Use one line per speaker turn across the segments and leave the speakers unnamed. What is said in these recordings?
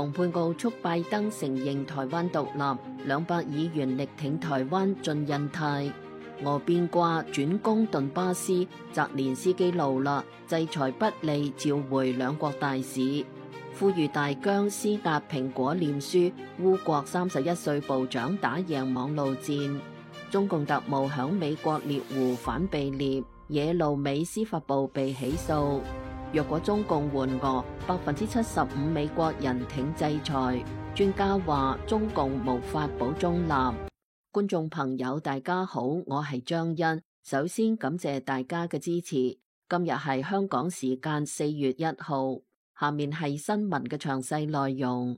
蓬佩奧促拜登承認台灣獨立，200議員力挺台灣進印太。俄變卦轉攻頓巴斯，澤連斯基怒啦，制裁不利，召回兩國大使，呼籲大疆施壓蘋果臉書。烏國31歲部長打贏網路戰。中共特務響美國獵狐反被獵，耶路美司法部被起訴。若果中共援俄，75%美國人挺制裁。專家話中共無法保中立。觀眾朋友大家好，我係張欣，首先感謝大家嘅支持。今日係香港時間4月1號，下面係新聞嘅詳細內容。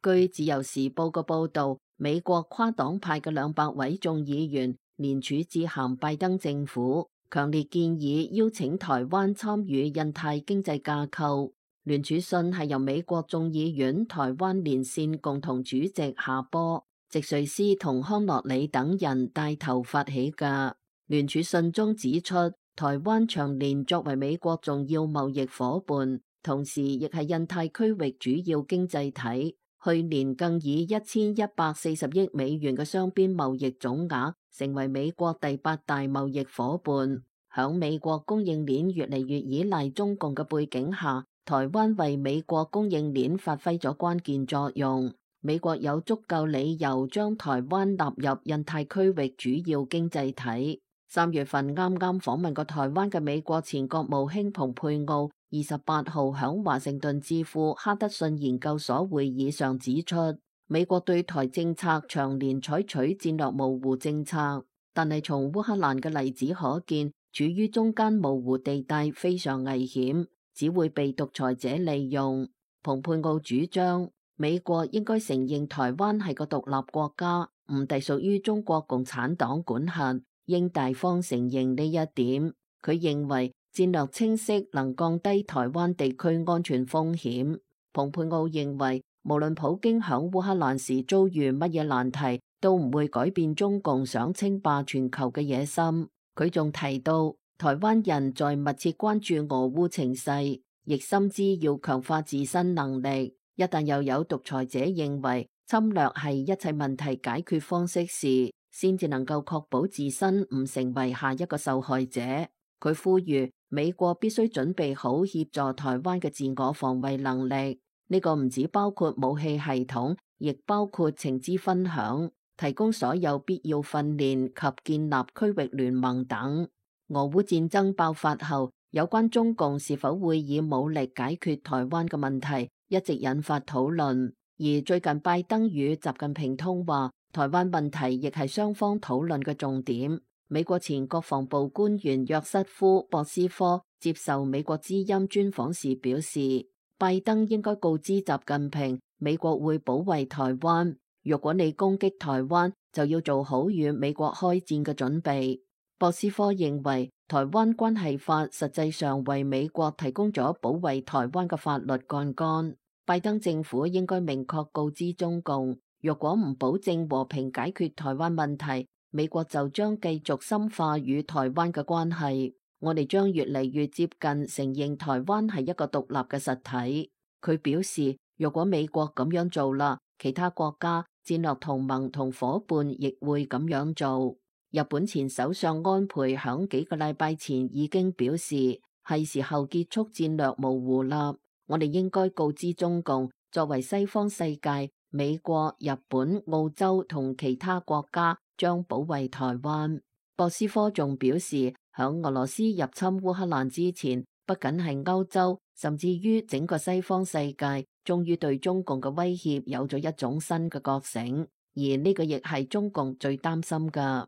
據自由時報嘅報道，美國跨黨派嘅200位眾議員聯署致函拜登政府，強烈建議邀請台灣參與印太經濟架構。聯署信係由美國眾議院台灣連線共同主席夏波、席瑞斯同康諾里等人帶頭發起嘅。聯署信中指出，台灣長年作為美國重要貿易夥伴，同時亦係印太區域主要經濟體。去年更以1140億美元嘅雙邊貿易總額，成為美國第8大貿易夥伴。響美國供應鏈越嚟越依賴中共嘅背景下，台灣為美國供應鏈發揮咗關鍵作用。美國有足夠理由將台灣納入印太區域主要經濟體。3月份啱啱訪問過台灣嘅美國前國務卿蓬佩奧28號響華盛頓智庫哈德遜研究所會議上指出，美國對台政策長年採取戰略模糊政策，但係從烏克蘭嘅例子可見，處於中間模糊地帶非常危險，只會被獨裁者利用。蓬佩奧主張美國應該承認台灣係個獨立國家，唔隸屬於中國共產黨管轄，應大方承認呢一點。佢認為戰略清晰能降低台灣地區安全風險。蓬佩奧認為，無論普京響烏克蘭時遭遇乜嘢難題，都唔會改變中共想稱霸全球嘅野心。佢仲提到，台灣人在密切關注俄烏情勢，亦深知要強化自身能力。一旦又有獨裁者認為侵略係一切問題解決方式時，先至能夠確保自身唔成為下一個受害者。佢呼籲美國必須準備好協助台灣嘅自我防衛能力，呢個唔止包括武器系統，亦包括情資分享，提供所有必要訓練及建立區域聯盟等。俄烏戰爭爆發後，有關中共是否會以武力解決台灣嘅問題，一直引發討論。而最近拜登與習近平通話，台灣問題亦係雙方討論嘅重點。美國前國防部官員約瑟夫·博斯科接受美國之音專訪時表示，拜登應該告知習近平，美國會保衛台灣。若果你攻擊台灣，就要做好與美國開戰嘅準備。博斯科認為，台灣關係法實際上為美國提供咗保衛台灣嘅法律槓桿。拜登政府應該明確告知中共，若果唔保證和平解決台灣問題，美國就將繼續深化與台灣嘅關係。我哋將越嚟越接近承認台灣係一個獨立嘅實體。佢表示，若果美國咁樣做啦，其他國家、戰略同盟同夥伴亦會咁樣做。日本前首相安倍響幾個禮拜前已經表示，係時候結束戰略模糊啦。我哋應該告知中共，作為西方世界，美國、日本、澳洲同其他國家將保衛台灣。博斯科仲表示，響俄羅斯入侵烏克蘭之前，不僅係歐洲，甚至於整個西方世界，終於對中共嘅威脅有咗一種新嘅覺醒，而呢個亦係中共最擔心㗎。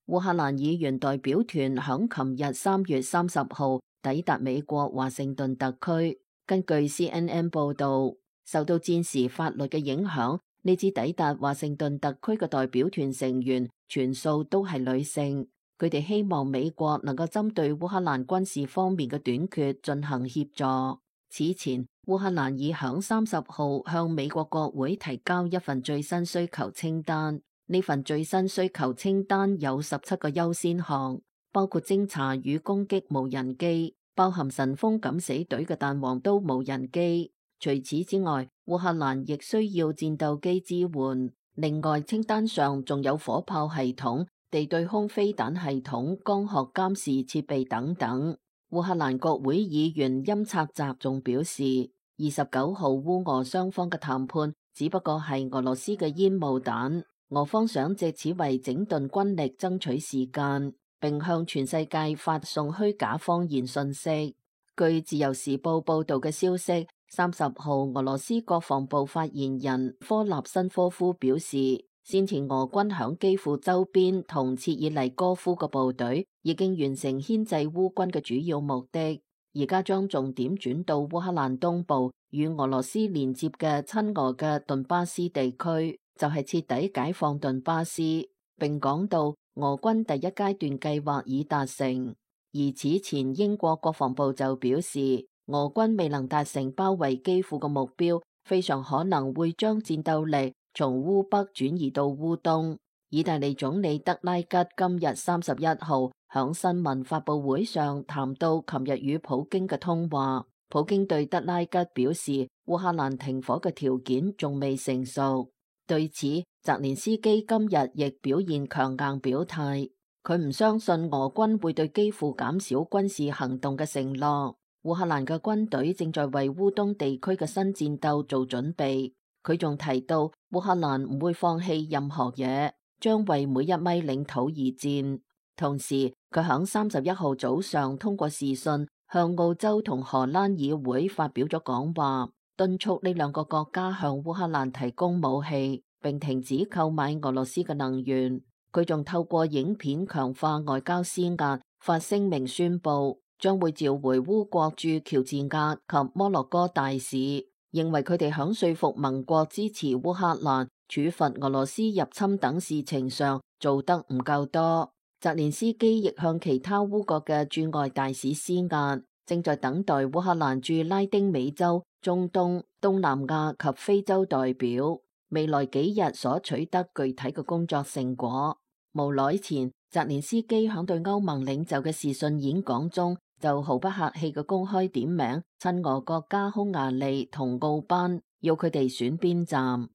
烏克蘭議員代表團響琴日3月30號抵達美國華盛頓特區。根據 CNN 報導，受到戰時法律嘅影響，呢支抵達華盛頓特區嘅代表團成員全數都係女性。佢哋希望美國能夠針對烏克蘭軍事方面嘅短缺進行協助。此前，烏克蘭已響30號向美國國會提交一份最新需求清單。呢份最新需求清單有17個優先項，包括偵察與攻擊無人機、包含神風敢死隊嘅彈簧刀無人機。除此之外，烏克蘭亦需要戰鬥機支援。另外，清單上仲有火炮系統、地對空飛彈系統、光學監視設備等等。烏克蘭國會議員欽察澤仲表示，29號烏俄雙方嘅談判只不過係俄羅斯嘅煙霧彈，俄方想借此為整頓軍力爭取時間，並向全世界發送虛假謊言信息。據自由時報報道嘅消息，30號俄羅斯國防部發言人科納申科夫表示，先前俄軍響基輔周邊同切爾尼戈夫嘅部隊已經完成牽制烏軍嘅主要目的，而家將重點轉到烏克蘭東部與俄羅斯連接嘅親俄嘅頓巴斯地區，就係徹底解放頓巴斯。並講到俄軍第一階段計劃已達成。而此前英國國防部就表示，俄軍未能達成包圍基輔嘅目標，非常可能會將戰鬥力從烏北轉移到烏東。意大利總理德拉吉今日31號響新聞發佈會上談到琴日與普京嘅通話，普京對德拉吉表示，烏克蘭停火嘅條件仲未成熟。對此，澤連斯基今日亦表現強硬表態。佢唔相信俄軍會對基輔減少軍事行動嘅承諾。烏克蘭嘅軍隊正在為烏東地區嘅新戰鬥做準備。佢仲提到，烏克蘭唔會放棄任何嘢，將為每一米領土而戰。同時，佢響31號早上通過視訊向澳洲同荷蘭議會發表咗講話，敦促呢兩個國家向烏克蘭提供武器，並停止購買俄羅斯嘅能源。佢仲透過影片強化外交施壓，發聲明宣布將會召回烏國駐喬治亞及摩洛哥大使，認為佢哋響說服盟國支持烏克蘭、處罰俄羅斯入侵等事情上做得唔夠多。澤連斯基亦向其他烏國嘅駐外大使施壓，正在等待烏克蘭駐拉丁美洲、中東、東南亞及非洲代表未來幾日所取得具體嘅工作成果。無耐前，澤連斯基響對歐盟領袖嘅視訊演講中，就毫不客氣嘅公開點名親俄國家匈牙利同奧班，要佢哋選邊站。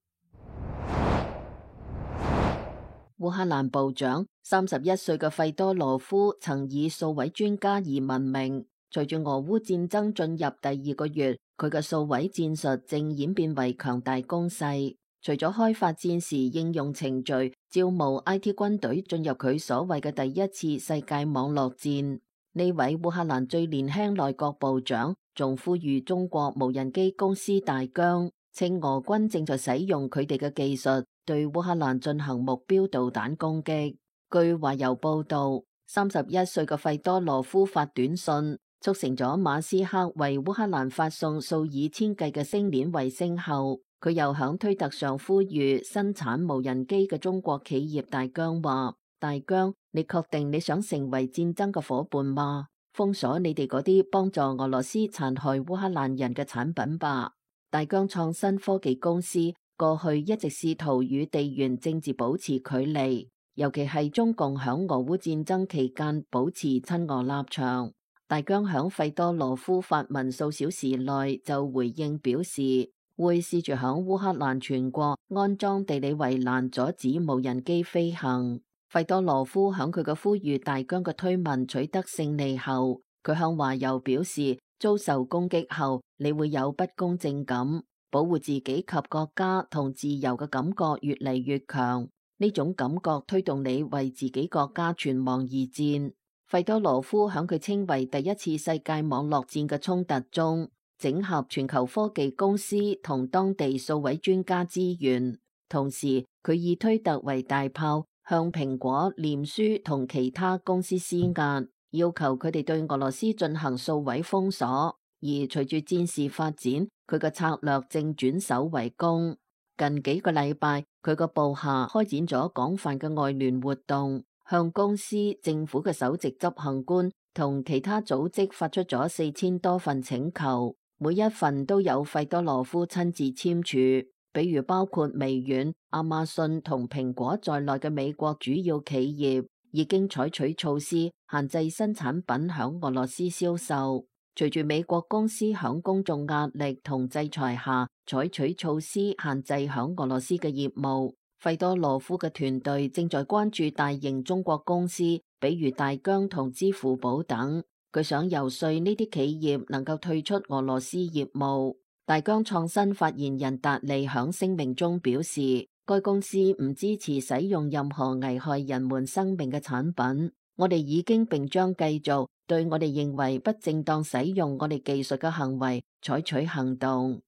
烏克蘭部長31歲嘅費多羅夫曾以數位專家而聞名，隨住俄烏戰爭進入第2個月，佢嘅數位戰術正演變為強大攻勢。除咗開發戰時應用程序，招募 IT 軍隊進入佢所謂嘅第一次世界網絡戰，呢位烏克蘭最年輕內閣部長仲呼籲中國無人機公司大疆，稱俄軍正在使用佢哋嘅技術對烏克蘭進行目標導彈攻擊。據華郵報道，31歲嘅費多羅夫發短信促成咗馬斯克為烏克蘭發送數以千計嘅星鏈衛星後，佢又響推特上呼籲生產無人機嘅中國企業大疆話：大疆，你確定你想成為戰爭嘅夥伴嗎？封鎖你哋嗰啲幫助俄羅斯殘害烏克蘭人嘅產品吧。大疆創新科技公司過去一直試圖與地緣政治保持距離，尤其係中共響俄烏戰爭期間保持親俄立場。大疆響費多羅夫發文數小時內就回應表示，會試住響烏克蘭全國安裝地理圍欄，阻止無人機飛行。費多羅夫響佢嘅呼籲大疆嘅推文取得勝利後，佢向華郵表示，遭受攻擊後你會有不公正感，保護自己及國家同自由嘅感覺越嚟越強，呢種感覺推動你為自己國家存亡而戰。費多羅夫響佢稱為第一次世界網絡戰嘅衝突中，整合全球科技公司同當地數位專家資源，同時佢以推特為大炮，向蘋果、臉書同其他公司施壓，要求佢哋對俄羅斯進行數位封鎖。而隨住戰事發展，佢嘅策略正轉守為攻。近幾個禮拜，佢個部下開展咗廣泛嘅外聯活動，向公司、政府嘅首席執行官同其他組織發出咗4000多份請求。每一份都有費多羅夫親自簽署，比如包括微軟、亞馬遜同蘋果在內嘅美國主要企業已經採取措施限制新產品響俄羅斯銷售。隨住美國公司響公眾壓力同制裁下採取措施限制響俄羅斯嘅業務，費多羅夫嘅團隊正在關注大型中國公司，比如大疆同支付寶等。佢想游說呢啲企業能夠退出俄羅斯業務。大疆創新發言人達利響聲明中表示，該公司唔支持使用任何危害人們生命嘅產品。我哋已經並將繼續對我哋認為不正當使用我哋技術嘅行為採取行動。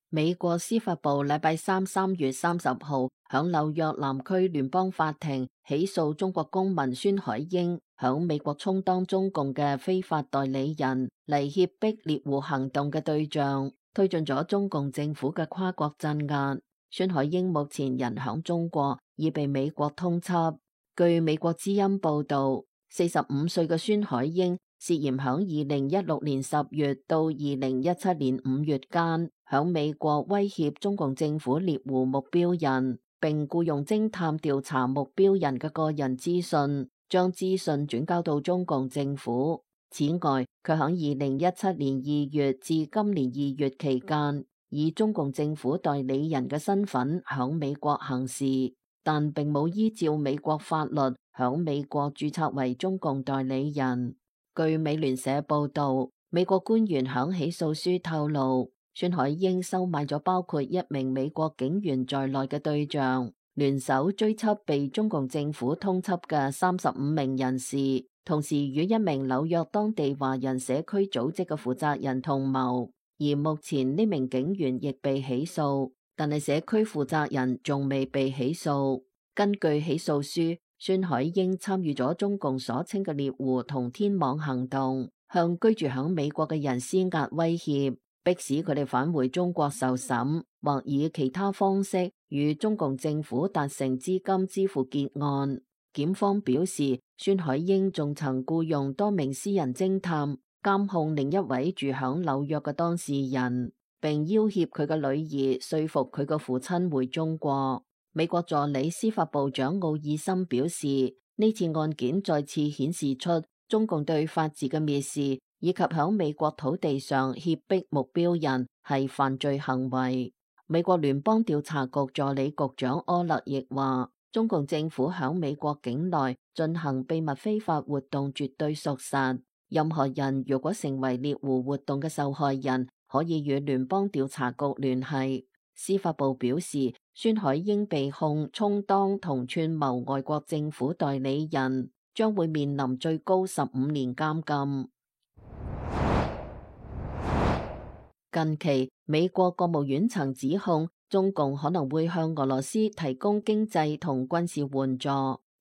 美國司法部禮拜三3月30號響紐約南區聯邦法庭起訴中國公民孫海英響美國充當中共嘅非法代理人嚟脅迫獵狐行動嘅對象，推進咗中共政府嘅跨國鎮壓。孫海英目前人響中國，已被美國通緝。據美國之音報道，45歲嘅孫海英涉嫌響2016年10月到2017年5月間，響美國威脅中共政府獵狐目標人，並僱用偵探調查目標人嘅個人資訊，將資訊轉交到中共政府。此外，佢響2017年2月至今年2月期間，以中共政府代理人嘅身份響美國行事，但並冇依照美國法律響美國註冊為中共代理人。據美聯社報道，美國官員響起訴書透露，孫海英收買咗包括1名美國警員在內嘅對象，聯手追緝被中共政府通緝嘅35名人士，同時與1名紐約當地華人社區組織嘅負責人同謀。而目前呢名警員亦被起訴，但係社區負責人仲未被起訴。根據起訴書，孫海英參與咗中共所稱嘅獵狐同天網行動，向居住響美國嘅人施壓威脅，迫使佢哋返回中國受審，或以其他方式與中共政府達成資金支付結案。檢方表示，孫海英仲曾僱用多名私人偵探監控另一位住響紐約嘅當事人，並要挾佢嘅女兒說服佢嘅父親回中國。美國助理司法部長奧爾森表示，呢次案件再次顯示出中共對法治嘅蔑視，以及響美國土地上脅迫目標人係犯罪行為。美國聯邦調查局助理局長柯勒亦話，中共政府響美國境內進行秘密非法活動絕對屬實。任何人如果成為獵狐活動嘅受害人，可以與聯邦調查局聯繫。司法部表示，孫海英被控充當同串謀外國政府代理人，將會面臨最高15年監禁。近期，美國國務院曾指控中共可能會向俄羅斯提供經濟同軍事援助，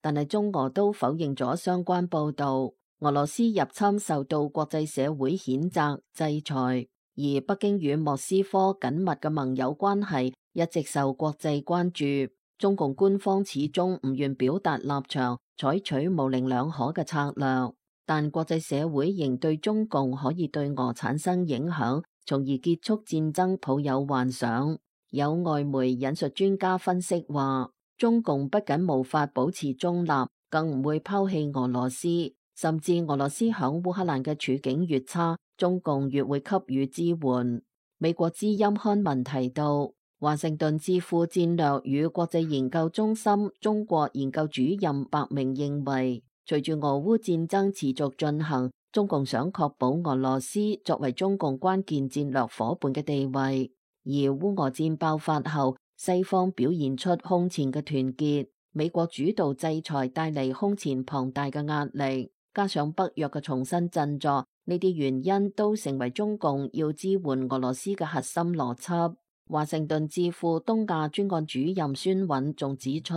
但係中俄都否認咗相關報導。俄羅斯入侵受到國際社會譴責制裁，而北京與莫斯科緊密嘅盟友關係一直受國際關注。中共官方始終唔願表達立場，採取模棱兩可嘅策略，但國際社會仍對中共可以對俄產生影響，從而結束戰爭抱有幻想。有外媒引述專家分析話，中共不僅無法保持中立，更唔會拋棄俄羅斯。甚至俄羅斯響烏克蘭嘅處境越差，中共越會給予支援。美國之音刊文提到，華盛頓智庫戰略與國際研究中心中國研究主任白明認為，隨住俄烏戰爭持續進行，中共想確保俄羅斯作為中共關鍵戰略夥伴嘅地位。而烏俄戰爆發後，西方表現出空前嘅團結，美國主導制裁帶嚟空前龐大嘅壓力。加上北約嘅重新振作，呢啲原因都成為中共要支援俄羅斯嘅核心邏輯。華盛頓智庫東亞專案主任孫韻仲指出，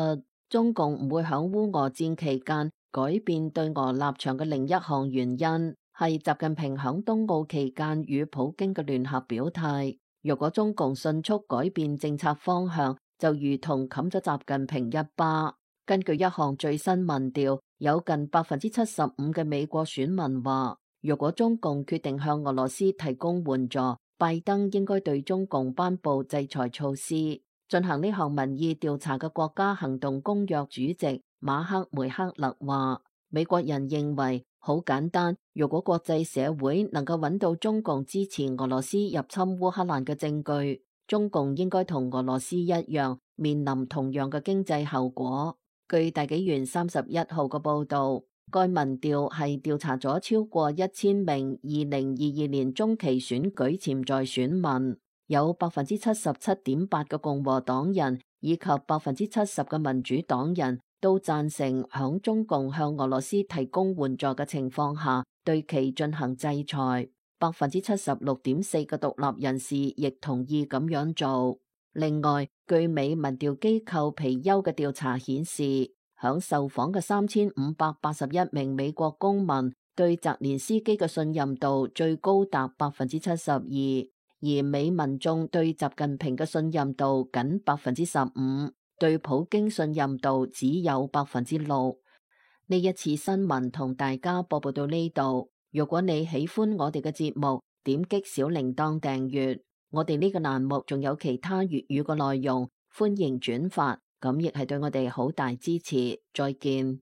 中共唔會響烏俄戰期間改變對俄立場嘅另一項原因，係習近平響冬奧期間與普京嘅聯合表態。如果中共迅速改變政策方向，就如同冚咗習近平一巴。根據一項最新民調，有近75%嘅美國選民話，如果中共決定向俄羅斯提供援助，拜登應該對中共頒布制裁措施。進行呢項民意調查嘅國家行動公約主席馬克梅克勒話，美國人認為好簡單，如果國際社會能夠揾到中共支持俄羅斯入侵烏克蘭嘅證據，中共應該同俄羅斯一樣面臨同樣嘅經濟後果。據大紀元31號嘅報導，該民調係調查咗超過1000名2022年中期選舉潛在選民，有77.8%嘅共和黨人以及70%嘅民主黨人都贊成響中共向俄羅斯提供援助嘅情況下對其進行制裁。76.4%嘅獨立人士亦同意咁樣做。另外，據美民調機構皮尤嘅調查顯示，響受訪嘅3581名美國公民對澤連斯基嘅信任度最高達72%，而美民眾對習近平嘅信任度僅15%，對普京信任度只有6%。呢一次新聞同大家播報到呢度。如果你喜歡我哋嘅節目，點擊小鈴鐺訂閱。我哋呢個欄目仲有其他粵語嘅內容，歡迎轉發，咁亦係對我哋好大支持。再見。